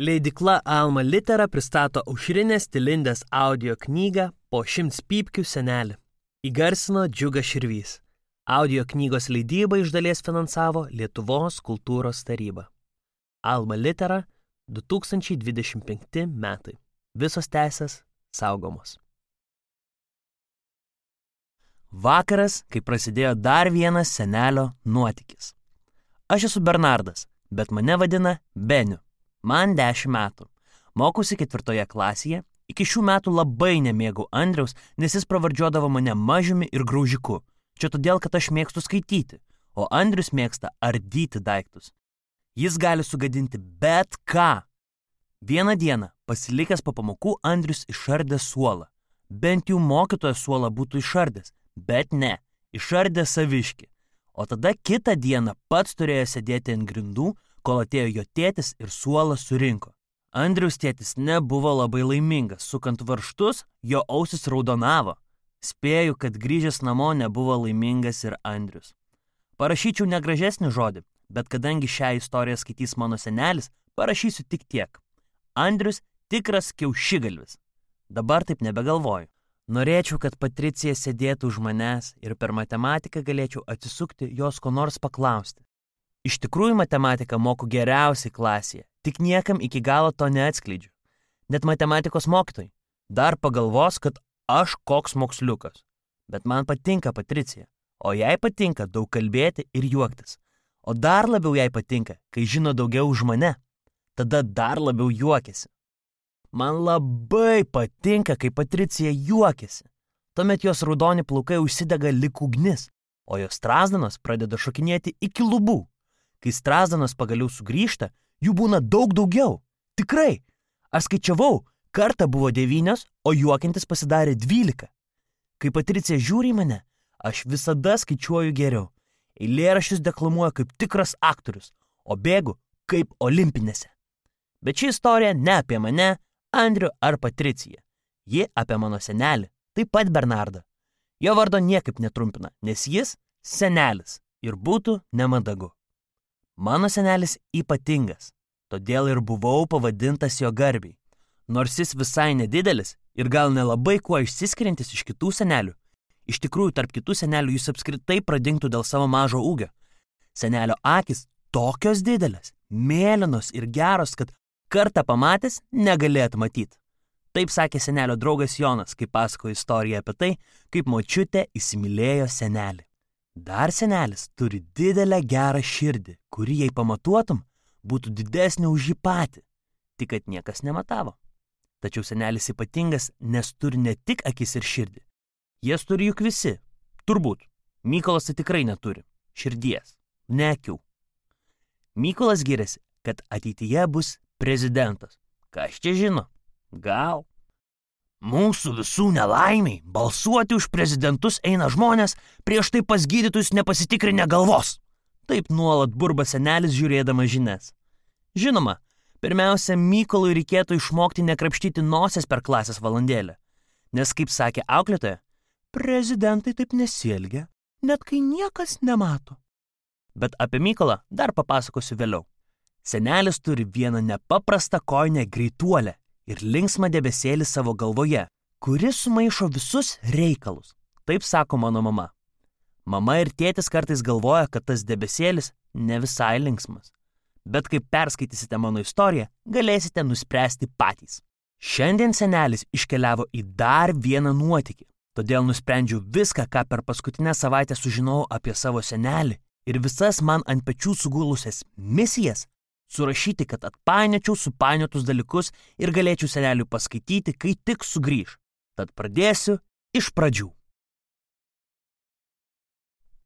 Leidykla Alma Litera pristato Aušrinės Tilindės audio knygą Po 100 pypkių senelį. Įgarsino Džiugas Širvys. Audio knygos leidybą iš dalies finansavo Lietuvos kultūros taryba. Alma Litera 2025 metai. Visos teisės saugomos. Vakaras, kai prasidėjo dar vienas senelio nuotykis. Aš esu Bernardas, bet mane vadina Beniu. Man 10 metų. Mokusi 4 klasėje. Iki šių metų labai nemėgau Andriaus, nes jis pravardžiuodavo mane mažiumi ir graužiku. Čia todėl, kad aš mėgstu skaityti, o Andrius mėgsta ardyti daiktus. Jis gali sugadinti bet ką. Vieną dieną, pasilikęs po pamokų, Andrius išardė suolą. Bent jau mokytojas suolą būtų išardęs, bet ne, išardė saviškį. O tada kitą dieną pats turėjo sėdėti ant grindų, kol atėjo jo tėtis ir suolą surinko. Andriaus tėtis nebuvo labai laimingas, sukant varžtus, jo ausis raudonavo. Spėju, kad grįžęs namo nebuvo laimingas ir Andrius. Parašyčiau negražesnį žodį, bet kadangi šią istoriją skaitys mano senelis, parašysiu tik tiek. Andrius tikras kiaušigalvis. Dabar taip nebegalvoju. Norėčiau, kad Patricija sėdėtų už manęs ir per matematiką galėčiau atsisukti jos ko nors paklausti. Iš tikrųjų matematiką moku geriausiai klasėje, tik niekam iki galo to neatskleidžiu. Net matematikos mokytojai dar pagalvos, kad aš koks moksliukas. Bet man patinka Patricija, o jai patinka daug kalbėti ir juoktis. O dar labiau jai patinka, kai žino daugiau už mane. Tada dar labiau juokiasi. Man labai patinka, kai Patricija juokiasi. Tuomet jos raudoni plaukai užsidega lyg ugnis, o jos strazdanos pradeda šokinėti iki lubų. Kai strazdanos pagaliau sugrįžta, jų būna daug daugiau. Tikrai. Aš skaičiavau, kartą buvo 9, o juokiantis pasidarė 12. Kai Patricija žiūri į mane, aš visada skaičiuoju geriau. Eilėraščius deklamuoju kaip tikras aktorius, o bėgu kaip olimpinėse. Bet ši istorija ne apie mane, Andrių ar Patriciją. Ji apie mano senelį, taip pat Bernardą. Jo vardo niekaip netrumpina, nes jis senelis ir būtų nemandagu. Mano senelis ypatingas, todėl ir buvau pavadintas jo garbiai. Nors jis visai nedidelis ir gal nelabai kuo išsiskiriantis iš kitų senelių. Iš tikrųjų, tarp kitų senelių jis apskritai pradingtų dėl savo mažo ūgio. Senelio akys tokios didelės, mėlynos ir geros, kad kartą pamatęs negalėt matyti. Taip sakė senelio draugas Jonas, kai pasakojo istoriją apie tai, kaip močiutė įsimylėjo senelį. Dar senelis turi didelę gerą širdį, kuri jei pamatuotum, būtų didesnė už jį patį, tik kad niekas nematavo. Tačiau senelis ypatingas, nes turi ne tik akis ir širdį. Jas turi juk visi. Turbūt. Mykolas tai tikrai neturi. Širdies. Ne akių. Mykolas giriasi, kad ateityje bus prezidentas. Kas čia žino? Gal? Mūsų visų nelaimiai balsuoti už prezidentus eina žmonės prieš tai pas gydytojus nepasitikrinę galvos. Taip nuolat burba senelis žiūrėdamas žinias. Žinoma, pirmiausia, Mykolui reikėtų išmokti nekrapštyti nosies per klasės valandėlę. Nes, kaip sakė auklėtoja, prezidentai taip nesielgia, net kai niekas nemato. Bet apie Mykolą dar papasakosiu vėliau. Senelis turi vieną nepaprastą kojinę greituolę ir linksmą debesėlį savo galvoje, kuris sumaišo visus reikalus. Taip sako mano mama. Mama ir tėtis kartais galvoja, kad tas debesėlis ne visai linksmas. Bet kai perskaitysite mano istoriją, galėsite nuspręsti patys. Šiandien senelis iškeliavo į dar vieną nuotykį, todėl nusprendžiau viską, ką per paskutinę savaitę sužinojau apie savo senelį ir visas man ant pečių sugulusias misijas, surašyti, kad atpainiočiau supainiotus dalykus ir galėčiau seneliui paskaityti, kai tik sugrįž. Tad pradėsiu iš pradžių.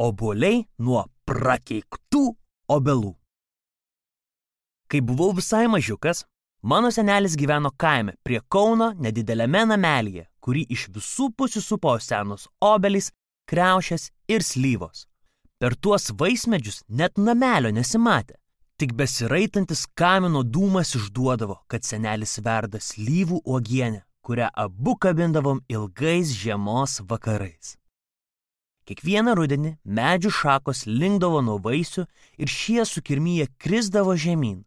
Obuoliai nuo prakeiktų obelų. Kai buvau visai mažiukas, mano senelis gyveno kaime prie Kauno nedideliame namelyje, kurį iš visų pusių supo senos obelys, kriaušės ir slyvos. Per tuos vaismedžius net namelio nesimatė. Tik besiraitantis kamino dūmas išduodavo, kad senelis verda slyvų uogienę, kurią abu kabindavom ilgais žiemos vakarais. Kiekvieną rudenį medžių šakos linkdavo nuo vaisių ir šie sukirmyje krisdavo žemyn.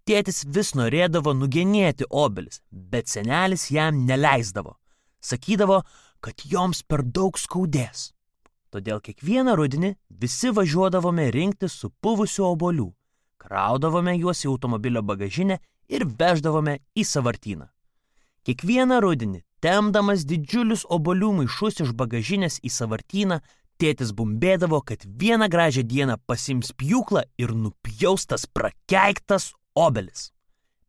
Tėtis vis norėdavo nugenėti obelis, bet senelis jam neleisdavo. Sakydavo, kad joms per daug skaudės. Todėl kiekvieną rudenį visi važiuodavome rinkti supuvusių obuolių, kraudavome juos į automobilio bagažinę ir veždavome į sąvartyną. Kiekvieną rudenį, tempdamas didžiulius obuolių maišus iš bagažinės į sąvartyną, tėtis bumbėdavo, kad vieną gražią dieną pasiims pjūklą ir nupjaus tas prakeiktas obelis.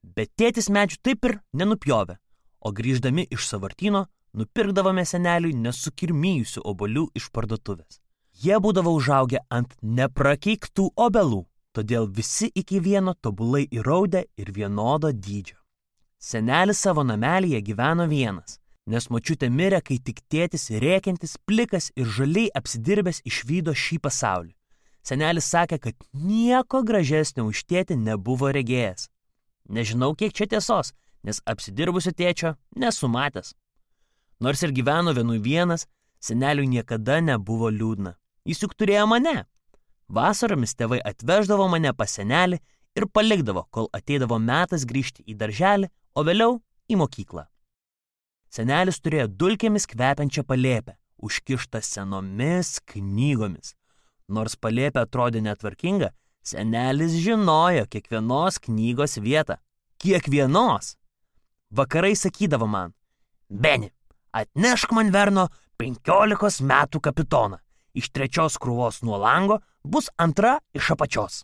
Bet tėtis medžių taip ir nenupjovė, o grįždami iš sąvartyno nupirkdavome seneliui nesukirmijusių obuolių iš parduotuvės. Jie būdavo užaugę ant neprakeiktų obelų, todėl visi iki vieno tobulai įraudę ir vienodo dydžio. Senelis savo namelyje gyveno vienas, nes močiutė mirė, kai tik tėtis rėkiantis, plikas ir žaliai apsidirbęs išvydo šį pasaulį. Senelis sakė, kad nieko gražesnio už tėtį nebuvo regėjęs. Nežinau, kiek čia tiesos, nes apsidirbusio tėčio nesu matęs. Nors ir gyveno vienas, seneliui niekada nebuvo liūdna. Jis juk turėjo mane. Vasaromis tėvai atveždavo mane pas senelį ir palikdavo, kol ateidavo metas grįžti į darželį, o vėliau į mokyklą. Senelis turėjo dulkėmis kvepiančią palėpę, užkištą senomis knygomis. Nors palėpė atrodė netvarkinga, senelis žinojo kiekvienos knygos vietą. Kiekvienos! Vakarai sakydavo man, Beni, atnešk man Verno 15 metų kapitoną. Iš 3 krūvos nuo lango bus 2 iš apačios.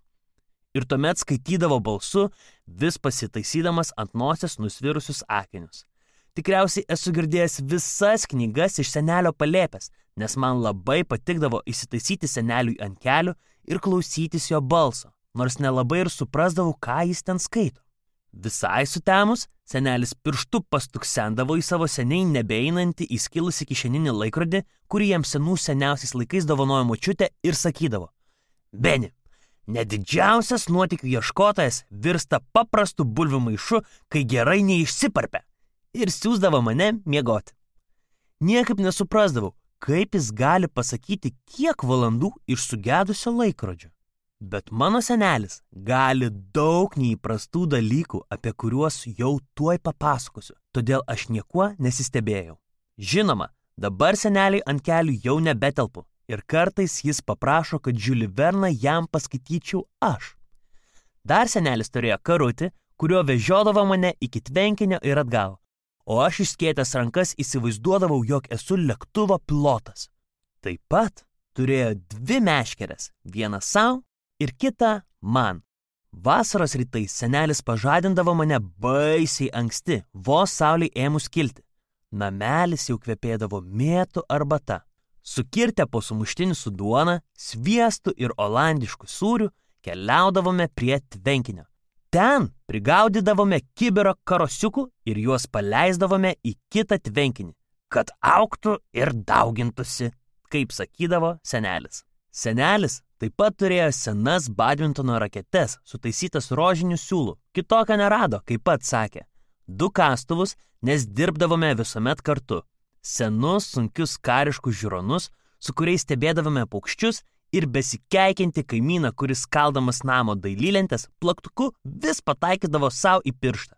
Ir tuomet skaitydavo balsu, vis pasitaisydamas ant nosies nusvirusius akinius. Tikriausiai esu girdėjęs visas knygas iš senelio palėpės, nes man labai patikdavo įsitaisyti seneliui ant kelių ir klausytis jo balso, nors nelabai ir suprasdavau, ką jis ten skaito. Visai sutemus, senelis pirštu pastuksendavo į savo seniai nebeeinantį įskilusį kišeninį laikrodį, kurį jam senų seniausiais laikais dovanojo močiutė ir sakydavo, Beni, net didžiausias nuotykių ieškotojas virsta paprastu bulvių maišu, kai gerai neišsiparpia, ir siųsdavo mane miegoti. Niekaip nesuprasdavau, kaip jis gali pasakyti, kiek valandų iš sugedusio laikrodžio. Bet mano senelis gali daug neįprastų dalykų, apie kuriuos jau tuoj papasakosiu, todėl aš niekuo nesistebėjau. Žinoma, dabar seneliai ant kelių jau nebetelpu ir kartais jis paprašo, kad Žiulį Verną jam paskaityčiau aš. Dar senelis turėjo karutį, kuriuo vežiodavo mane iki tvenkinio ir atgal, o aš išskėtęs rankas įsivaizduodavau, jog esu lėktuvo pilotas. Taip pat turėjo 2 meškeres, vieną savo ir kitą man. Vasaros rytais senelis pažadindavo mane baisiai anksti, vos saulei ėmus kilti. Namelis jau kvepėdavo mėtų arbata. Sukirtę po sumuštinį su duona, sviestu ir olandišku sūriu, keliaudavome prie tvenkinio. Ten prigaudydavome kibiro karosiukų ir juos paleisdavome į kitą tvenkinį, kad augtų ir daugintųsi, kaip sakydavo senelis. Senelis taip pat turėjo senas badmintono raketes, sutaisytas rožiniu siūlu. Kitokio nerado, kaip pats sakė. 2 kastuvus, nes dirbdavome visuomet kartu. Senus, sunkius kariškus žiūronus, su kuriais stebėdavome paukščius ir besikeikianti kaimyną, kuris kaldamas namo dailylentės, plaktuku vis pataikydavo savo į pirštą.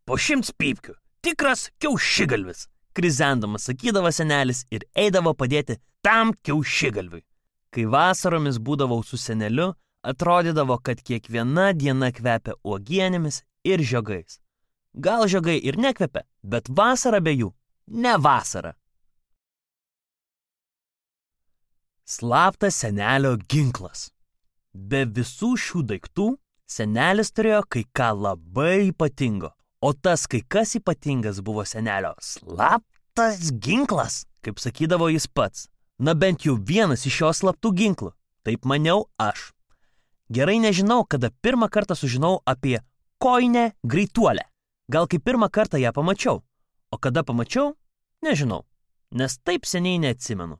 Po 100 pypkių, tikras kiaušigalvis, krizendamas sakydavo senelis ir eidavo padėti tam kiaušigalviui. Kai vasaromis būdavau su seneliu, atrodydavo, kad kiekviena diena kvepia uogienėmis ir žiogais. Gal žiogai ir nekvepia, bet vasara be jų ne vasara. Slaptas senelio ginklas. Be visų šių daiktų, senelis turėjo kai ką labai ypatingo, o tas kai kas ypatingas buvo senelio slaptas ginklas, kaip sakydavo jis pats. Na bent jau vienas iš jo slaptų ginklų, taip maniau aš. Gerai nežinau, kada pirmą kartą sužinau apie kojinę greituolę. Gal kai pirmą kartą ją pamačiau, o kada pamačiau, nežinau, nes taip seniai neatsimenu.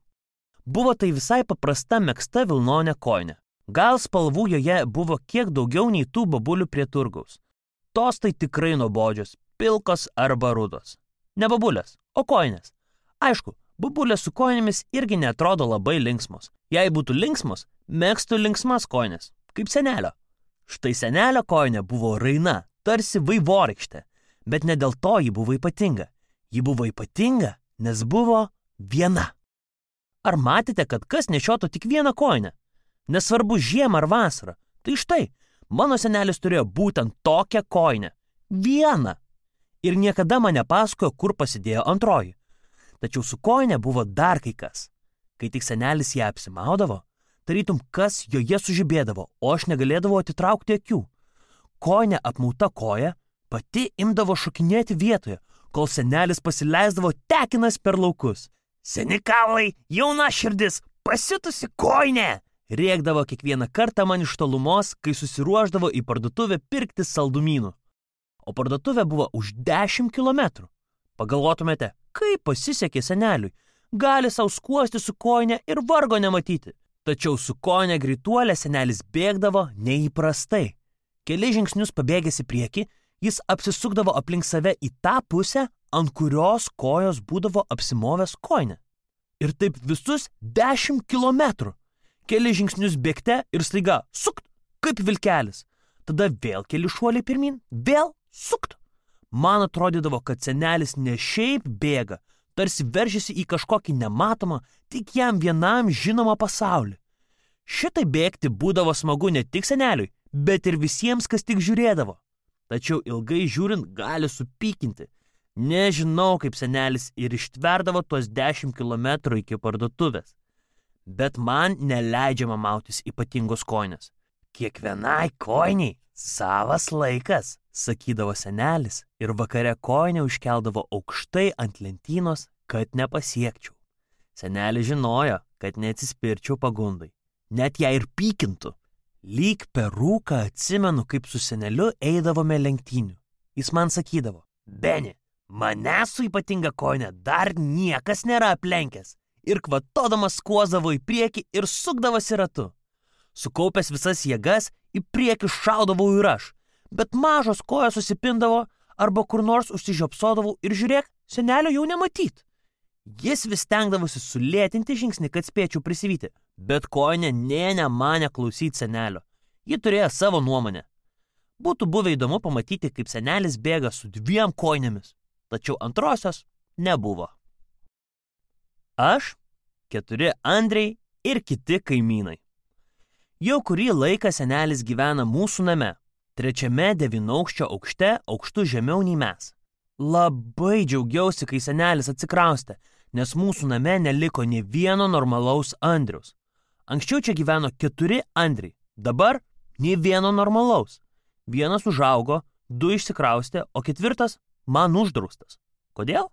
Buvo tai visai paprasta megzta vilnonė kojinė. Gal spalvų joje buvo kiek daugiau nei tų babulių prie turgaus. Tos tai tikrai nuobodžios, pilkos arba rudos. Ne babulės, o kojinės. Aišku, babulės su kojinėmis irgi neatrodo labai linksmos. Jei būtų linksmos, megztų linksmas kojinės, kaip senelio. Štai senelio kojinė buvo raina, tarsi vaivorykštė, bet ne dėl to ji buvo ypatinga. Ji buvo ypatinga, nes buvo viena. Ar matėte, kad kas nešiotų tik vieną kojinę? Nesvarbu žiemą ar vasarą. Tai štai, mano senelis turėjo būtent tokią kojinę. Vieną. Ir niekada man nepasakojo, kur pasidėjo antroji. Tačiau su kojinė buvo dar kai kas. Kai tik senelis ją apsimaudavo, tarytum kas joje sužibėdavo, o aš negalėdavau atitraukti akių. Kojinė apmauta koja pati imdavo šokinėti vietoje, kol senelis pasileisdavo tekinas per laukus. Seni kaulai, jauna širdis, pasiutusi kojinė! Rėkdavo kiekvieną kartą man iš tolumos, kai susiruošdavo į parduotuvę pirkti saldumynų. O parduotuvė buvo už 10 kilometrų. Pagalvotumėte, kaip pasisekė seneliui. Gali sau skuosti su kojinė ir vargo nematyti. Tačiau su kojinė greituolė senelis bėgdavo neįprastai. Keli žingsnius pabėgęs į priekį, jis apsisukdavo aplink save į tą pusę, ant kurios kojos būdavo apsimovęs kojinė. Ir taip visus 10 kilometrų. Keli žingsnius bėgte ir staiga sukt, kaip vilkelis. Tada vėl keli šuoliai pirmin, vėl sukt. Man atrodydavo, kad senelis ne šiaip bėga, tarsi veržiasi į kažkokį nematomą, tik jam vienam žinomą pasaulį. Šitai bėgti būdavo smagu ne tik seneliui, bet ir visiems, kas tik žiūrėdavo. Tačiau ilgai žiūrint gali supykinti. Nežinau, kaip senelis ir ištverdavo tuos 10 kilometrų iki parduotuvės. Bet man neleidžiama mautis ypatingos kojinės. Kiekvienai kojiniai savas laikas, sakydavo senelis ir vakare kojinę užkeldavo aukštai ant lentynos, kad nepasiekčiau. Senelis žinojo, kad neatsispirčiau pagundai, net ją ir pykintų. Lyg per rūką atsimenu, kaip su seneliu eidavome lenktynių. Jis man sakydavo, Beni, mane su ypatinga kojinė dar niekas nėra aplenkęs. Ir kvatodamas skuosdavo į priekį ir sukdavosi ratu. Sukaupęs visas jėgas, į priekį šaudavau ir aš, bet mažos kojos susipindavo arba kur nors užsižiopsodavau ir žiūrėk, senelio jau nematyt. Jis vis stengdavosi sulėtinti žingsnį, kad spėčiau prisivyti, bet kojinė nė nemanė klausyti senelio. Ji turėjo savo nuomonę. Būtų buvę įdomu pamatyti, kaip senelis bėga su 2 kojinėmis, tačiau antrosios nebuvo. Aš, 4 Andriai ir kiti kaimynai. Jau kurį laiką senelis gyvena mūsų name, 3 9-aukščio aukšte, aukštu žemiau nei mes. Labai džiaugiausi, kai senelis atsikraustė, nes mūsų name neliko nė vieno normalaus Andriaus. Anksčiau čia gyveno 4 Andriai, dabar nė vieno normalaus. Vienas užaugo, 2 išsikraustė, o 4 man uždraustas. Kodėl?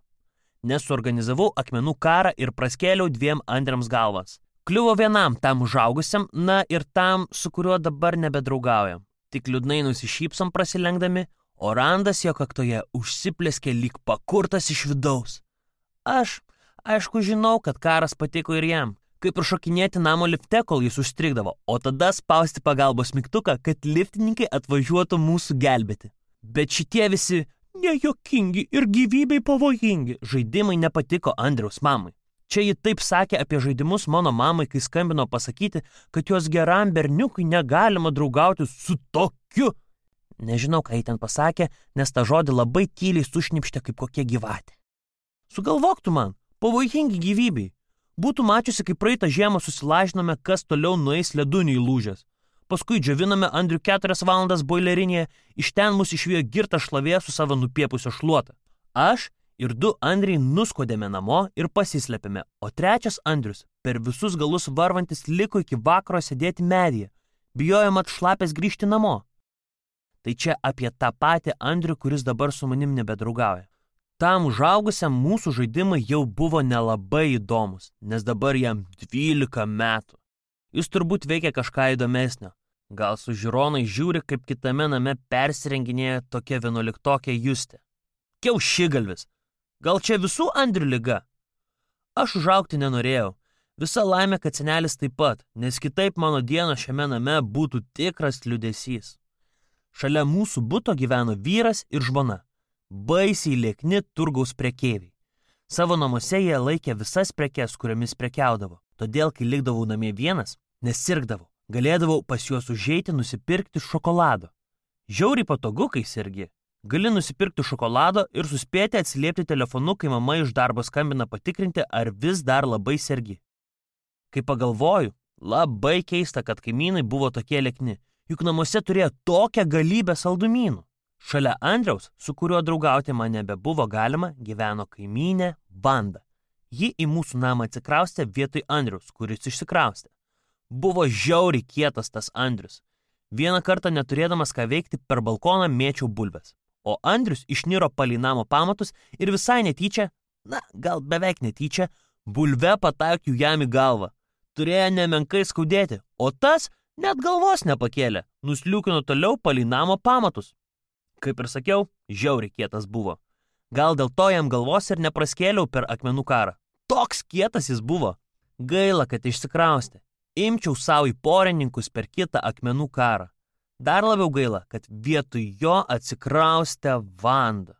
Nes suorganizavau akmenų karą ir praskėliau 2 Andriams galvas. Kliuvo vienam tam užaugusiam, na ir tam, su kuriuo dabar nebedraugaujam. Tik liūdnai nusišypsom prasilenkdami, o randas jo kaktoje užsiplėskė lyg pakurtas iš vidaus. Aš, aišku, žinau, kad karas patiko ir jam, kaip ir šokinėti namo lifte, kol jis užstrigdavo, o tada spausti pagalbos mygtuką, kad liftininkai atvažiuotų mūsų gelbėti. Bet šitie visi nejuokingi ir gyvybei pavojingi žaidimai nepatiko Andriaus mamai. Čia ji taip sakė apie žaidimus mano mamai, kai skambino pasakyti, kad jos geram berniukui negalima draugauti su tokiu. Nežinau, ką ji ten pasakė, nes tą žodį labai tyliai sušnipštė kaip kokia gyvatė. Sugalvok tu man, pavojingi gyvybei. Būtų mačiusi, kaip praeitą žiemą susilažinome, kas toliau nueis ledunį įlūžęs. Paskui džiovinome Andrių 4 valandas boilerinėje, iš ten mus išvijo girtas šlavė su savo nupiepusio šluota. Aš ir 2 Andriai nuskodėme namo ir pasislėpėme, o 3 Andrius per visus galus varvantis liko iki vakaro sėdėti medyje, bijojo mat šlapės grįžti namo. Tai čia apie tą patį Andrių, kuris dabar su manim nebedraugauja. Tam užaugusiam mūsų žaidimai jau buvo nelabai įdomus, nes dabar jam 12 metų. Jis turbūt veikia kažką įdomesnio. Gal su žiūronai žiūri, kaip kitame name persirenginėja tokia 11-okė Justė. Kiaušigalvis. Gal čia visų Andrių liga? Aš užaugti nenorėjau. Visa laimė, kad senelis taip pat, nes kitaip mano diena šiame name būtų tikras liūdesys. Šalia mūsų buto gyveno vyras ir žmona. Baisiai liekni turgaus prekeiviai. Savo namuose jie laikė visas prekes, kuriomis prekiaudavo. Todėl, kai likdavau namie vienas, nesirgdavau. Galėdavau pas juos užeiti nusipirkti šokolado. Žiauriai patogu, kai sergi. Gali nusipirkti šokolado ir suspėti atsiliepti telefonu, kai mama iš darbo skambina patikrinti, ar vis dar labai sergi. Kai pagalvoju, labai keista, kad kaimynai buvo tokie liekni, juk namuose turėjo tokią galybę saldumynų. Šalia Andriaus, su kuriuo draugauti man nebebuvo galima, gyveno kaimynė Vanda. Ji į mūsų namą atsikraustė vietoj Andriaus, kuris išsikraustė. Buvo žiauriai kietas tas Andrius. Vieną kartą neturėdamas ką veikti, per balkoną mėčiau bulves. O Andrius išniro palei namo pamatus ir visai netyčia, gal beveik netyčia, bulve pataikiau jam į galvą. Turėjo nemenkai skaudėti, o tas net galvos nepakėlė, nusliūkino toliau palei namo pamatus. Kaip ir sakiau, žiauriai kietas buvo. Gal dėl to jam galvos ir nepraskėliau per akmenų karą. Toks kietas jis buvo. Gaila, kad išsikraustė. Imčiau savo į porininkus per kitą akmenų karą. Dar labiau gaila, kad vietoj jo atsikraustė Vanda.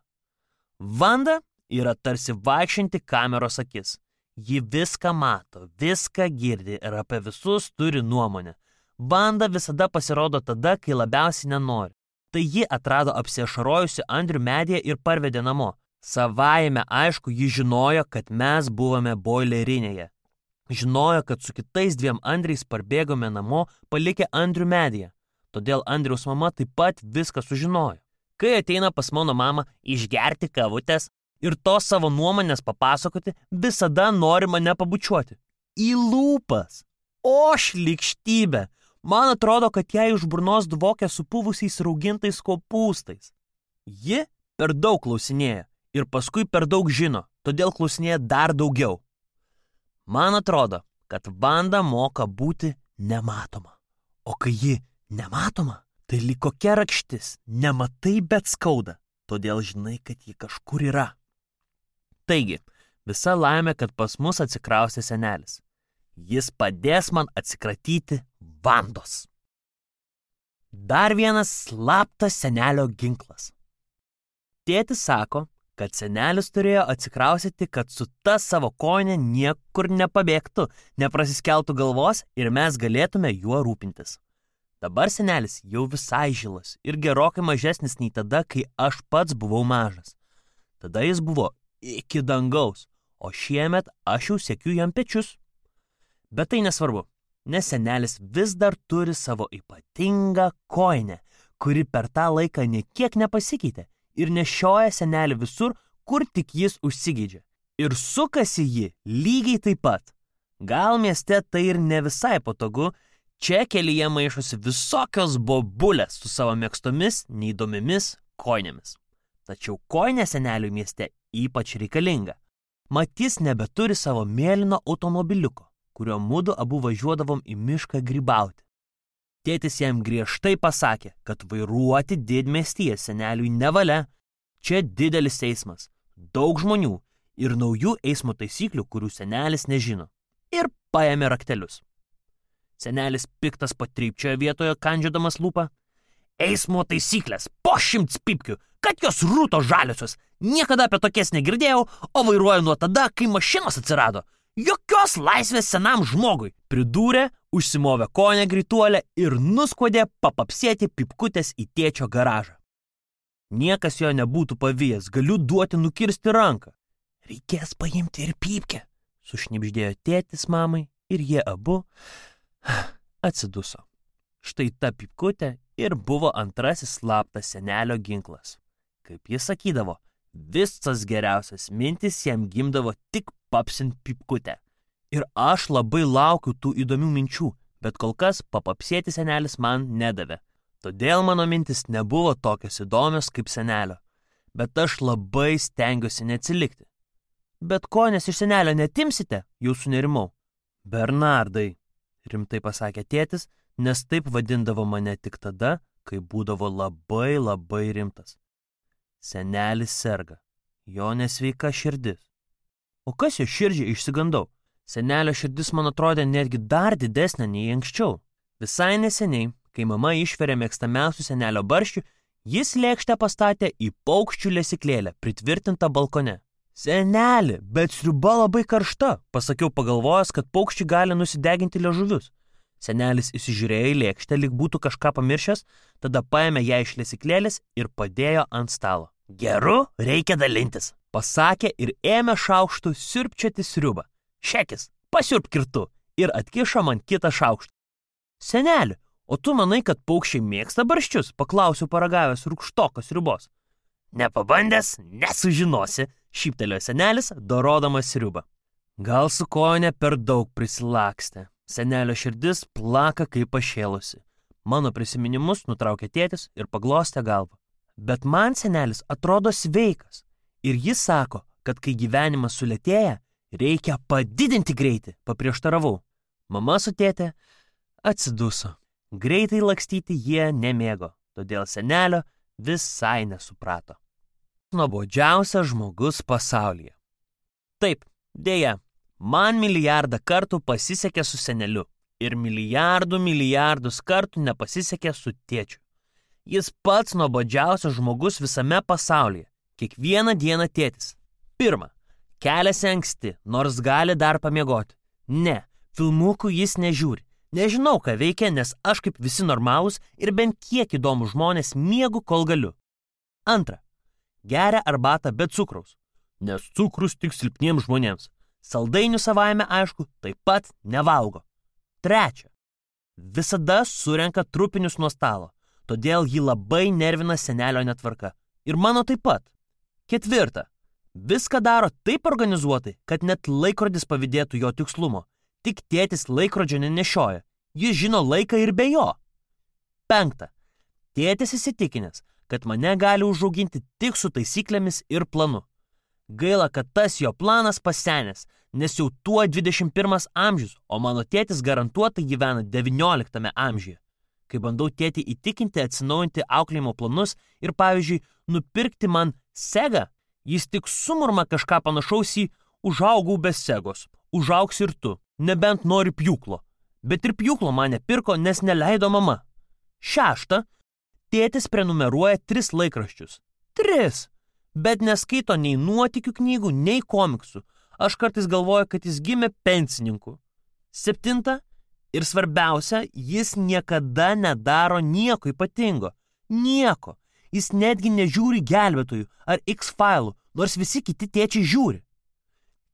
Vanda yra tarsi vaikščianti kameros akis. Ji viską mato, viską girdi ir apie visus turi nuomonę. Vanda visada pasirodo tada, kai labiausiai nenori. Tai ji atrado apsiašarojusi Andrių medyje ir parvedė namo. Savaime aišku, ji žinojo, kad mes buvome boilerinėje. Žinojo, kad su kitais 2 Andriais parbėgome namo, palikę Andrių medyje. Todėl Andriaus mama taip pat viską sužinojo. Kai ateina pas mano mamą išgerti kavutės ir tos savo nuomonės papasakoti, visada nori mane pabučiuoti. Į lūpas. O šlykštybė. Man atrodo, kad jai už burnos dvokia supuvusiais raugintais kopūstais. Ji per daug klausinėja ir paskui per daug žino, todėl klausinėja dar daugiau. Man atrodo, kad Vanda moka būti nematoma. O kai ji nematoma, tai lyg kokia rakštis, nematai, bet skauda, todėl žinai, kad ji kažkur yra. Taigi, visa laimė, kad pas mus atsikraustė senelis. Jis padės man atsikratyti Vandos. Dar vienas slaptas senelio ginklas. Tėtis sako, kad senelis turėjo atsikraustyti, kad su ta savo kojine niekur nepabėgtų, neprasiskeltų galvos ir mes galėtume juo rūpintis. Dabar senelis jau visai žilas ir gerokai mažesnis nei tada, kai aš pats buvau mažas. Tada jis buvo iki dangaus, o šiemet aš jau siekiu jam pečius. Bet tai nesvarbu, nes senelis vis dar turi savo ypatingą kojinę, kuri per tą laiką niekiek nepasikeitė ir nešioja senelį visur, kur tik jis užsigeidžia. Ir sukasi ji lygiai taip pat. Gal mieste tai ir ne visai patogu, čia kelyje maišosi visokios bobulės su savo mėgstomis, neįdomiomis kojinėmis. Tačiau kojinė seneliui mieste ypač reikalinga. Mat jis nebeturi savo mėlyno automobiliuko, kurio mudu abu važiuodavom į mišką grybauti. Tėtis jam griežtai pasakė, kad vairuoti didmiestyje seneliui nevalia. Čia didelis eismas, daug žmonių ir naujų eismo taisyklių, kurių senelis nežino. Ir paėmė raktelius. Senelis piktas patrypčiojo vietoje, kandžiodamas lūpą. Eismo taisyklės, po 100 pipkių, kad jos rūto žaliosios. Niekada apie tokias negirdėjau, o vairuoju nuo tada, kai mašinos atsirado. Jokios laisvės senam žmogui, pridūrė, užsimovė kojinę greituolę ir nuskuodė papapsėti pipkutės į tėčio garažą. Niekas jo nebūtų pavijęs, galiu duoti nukirsti ranką. Reikės paimti ir pypkę, sušnibždėjo tėtis mamai ir jie abu atsiduso. Štai ta pypkutė ir buvo antrasis slaptas senelio ginklas. Kaip jis sakydavo, visas geriausias mintis jam gimdavo tik papsint pypkutę. Ir aš labai laukiu tų įdomių minčių, bet kol kas papapsėti senelis man nedavė. Todėl mano mintis nebuvo tokios įdomios kaip senelio, bet aš labai stengiuosi neatsilikti. Bet kojinės iš senelio netimsite, jau sunerimau. Bernardai, rimtai pasakė tėtis, nes taip vadindavo mane tik tada, kai būdavo labai rimtas. Senelis serga, jo nesveika širdis. O kas jo širdžiai išsigandau? Senelio širdis man atrodė netgi dar didesnė nei anksčiau. Visai neseniai, kai mama išvirė mėgstamiausių senelio barščių, jis lėkštę pastatė į paukščių lesyklėlę, pritvirtintą balkone. Seneli, bet sriuba labai karšta, pasakiau pagalvojęs, kad paukščiai gali nusideginti liežuvius. Senelis įsižiūrėjo į lėkštę, lyg būtų kažką pamiršęs, tada paėmė ją iš lesyklėlės ir padėjo ant stalo. Geru, reikia dalintis, pasakė ir ėmė šaukštu siurbčioti sriubą. Šekis, pasiurbk kirtu ir atkišo man kitą šaukštą. Seneli, o tu manai, kad paukščiai mėgsta barščius? Paklausiu paragavęs rūgštokos sriubos. Nepabandęs, nesužinosi, šyptelėjo senelis, dorodamas sriubą. Gal su kone per daug prisilakstė. Senelio širdis plaka kaip pašėlusi. Mano prisiminimus nutraukė tėtis ir paglostė galvą. Bet man senelis atrodo sveikas. Ir jis sako, kad kai gyvenimas sulėtėja, reikia padidinti greitį, paprieštaravau. Mama su tėte atsiduso. Greitai lakstyti jie nemėgo, todėl senelio visai nesuprato. Nuobodžiausias žmogus pasaulyje. Taip, dėja, man milijardą kartų pasisekė su seneliu ir milijardus kartų nepasisekė su tėčiu. Jis pats nuobodžiausias žmogus visame pasaulyje. Kiekvieną dieną tėtis. Pirma, keliasi anksti, nors gali dar pamiegoti. Ne, filmukų jis nežiūri. Nežinau, ką veikia, nes aš kaip visi normalūs ir bent kiek įdomų žmonės miegu, kol galiu. Antra, geria arbatą be cukraus, nes cukrus tik silpniems žmonėms. Saldainių savaime, aišku, taip pat nevalgo. Trečia, visada surenka trupinius nuo stalo, todėl jį labai nervina senelio netvarka. Ir mano taip pat. Ketvirta, viską daro taip organizuotai, kad net laikrodis pavydėtų jo tikslumo. Tik tėtis laikrodžio nenešioja. Jis žino laiką ir be jo. Penkta, tėtis įsitikinęs, kad mane gali užauginti tik su taisyklėmis ir planu. Gaila, kad tas jo planas pasenęs, nes jau tuo 21 amžius, o mano tėtis garantuotai gyvena 19 amžiuje. Kai bandau tėtį įtikinti atsinaujinti auklėjimo planus ir, pavyzdžiui, nupirkti man segą, jis tik sumurma kažką panašaus į užaugau be segos, užaugs ir tu, nebent nori pjūklo. Bet ir pjūklo man nepirko, nes neleido mama. Šešta, tėtis prenumeruoja 3 laikraščius. 3! Bet neskaito nei nuotykių knygų, nei komiksų. Aš kartais galvoju, kad jis gimė pensininku. 7. Ir svarbiausia, jis niekada nedaro nieko ypatingo. Nieko. Jis netgi nežiūri Gelbėtojų ar X-failų, nors visi kiti tėčiai žiūri.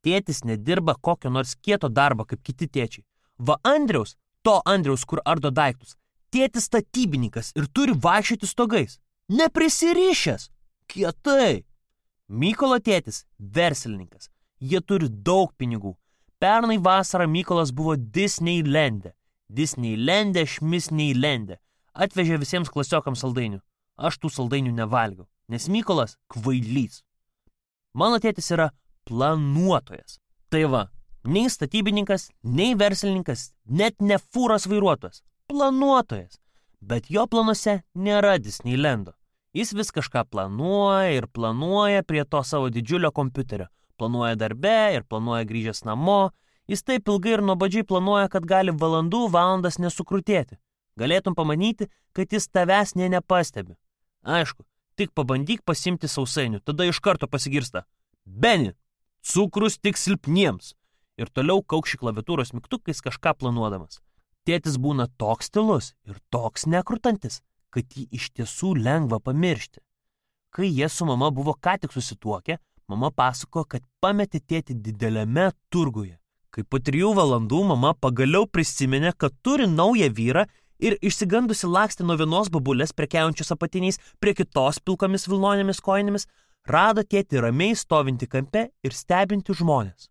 Tėtis nedirba kokio nors kieto darbo kaip kiti tėčiai. Va Andriaus, to Andriaus, kur ardo daiktus, tėtis statybininkas ir turi vaikščioti stogais. Neprisirišęs. Kietai. Mykolo tėtis verslininkas. Jie turi daug pinigų. Pernai vasarą Mykolas buvo Disneylande. Šmisneylande. Atvežė visiems klasiokams saldainių. Aš tų saldainių nevalgiau, nes Mykolas kvailys. Mano tėtis yra planuotojas. Tai va, nei statybininkas, nei verslininkas, net ne fūros vairuotojas. Planuotojas. Bet jo planuose nėra Disneylando. Jis vis kažką planuoja ir planuoja prie to savo didžiulio kompiuterio. Planuoja darbe ir planuoja grįžęs namo. Jis taip ilgai ir nuobodžiai planuoja, kad gali valandas nesukrutėti. Galėtum pamanyti, kad jis tavęs nepastebi. Aišku, tik pabandyk pasimti sausainių, tada iš karto pasigirsta. Beni, cukrus tik silpniems. Ir toliau kaukši klaviatūros mygtukais kažką planuodamas. Tėtis būna toks tylus ir toks nekrutantis, kad jį iš tiesų lengva pamiršti. Kai jie su mama buvo ką tik susituokę, mama pasako, kad pametė tėtį dideliame turguje. Kai po 3 valandų mama pagaliau prisiminė, kad turi naują vyrą ir išsigandusi lakstė nuo vienos babulės prekiaujančios apatiniais prie kitos pilkomis vilnonėmis kojinėmis, rado tėtį ramiai stovinti kampe ir stebinti žmonės.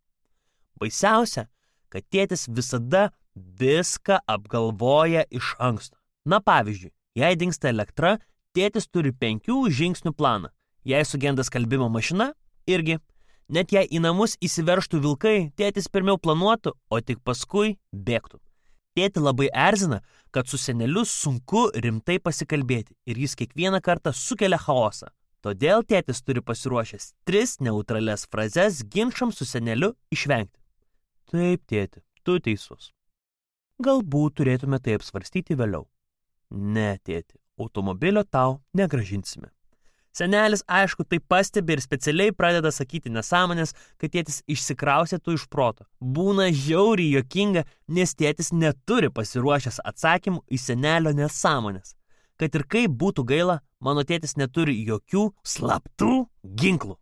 Baisiausia, kad tėtis visada viską apgalvoja iš anksto. Na pavyzdžiui, jei dingsta elektra, tėtis turi 5 žingsnių planą. Jei sugenda skalbimo mašina, irgi. Net jei į namus įsiveržtų vilkai, tėtis pirmiau planuotų, o tik paskui bėgtų. Tėtį labai erzina, kad su seneliu sunku rimtai pasikalbėti ir jis kiekvieną kartą sukelia chaosą. Todėl tėtis turi pasiruošęs 3 neutralias frazes ginčams su seneliu išvengti. Taip, tėti, tu teisus. Galbūt turėtume tai apsvarstyti vėliau. Ne, tėti, automobilio tau negrąžinsime. Senelis, aišku, tai pastebi ir specialiai pradeda sakyti nesąmonės, kad tėtis išsikrausėtų iš proto. Būna žiauriai juokinga, nes tėtis neturi pasiruošęs atsakymų į senelio nesąmonės. Kad ir kaip būtų gaila, mano tėtis neturi jokių slaptų ginklų.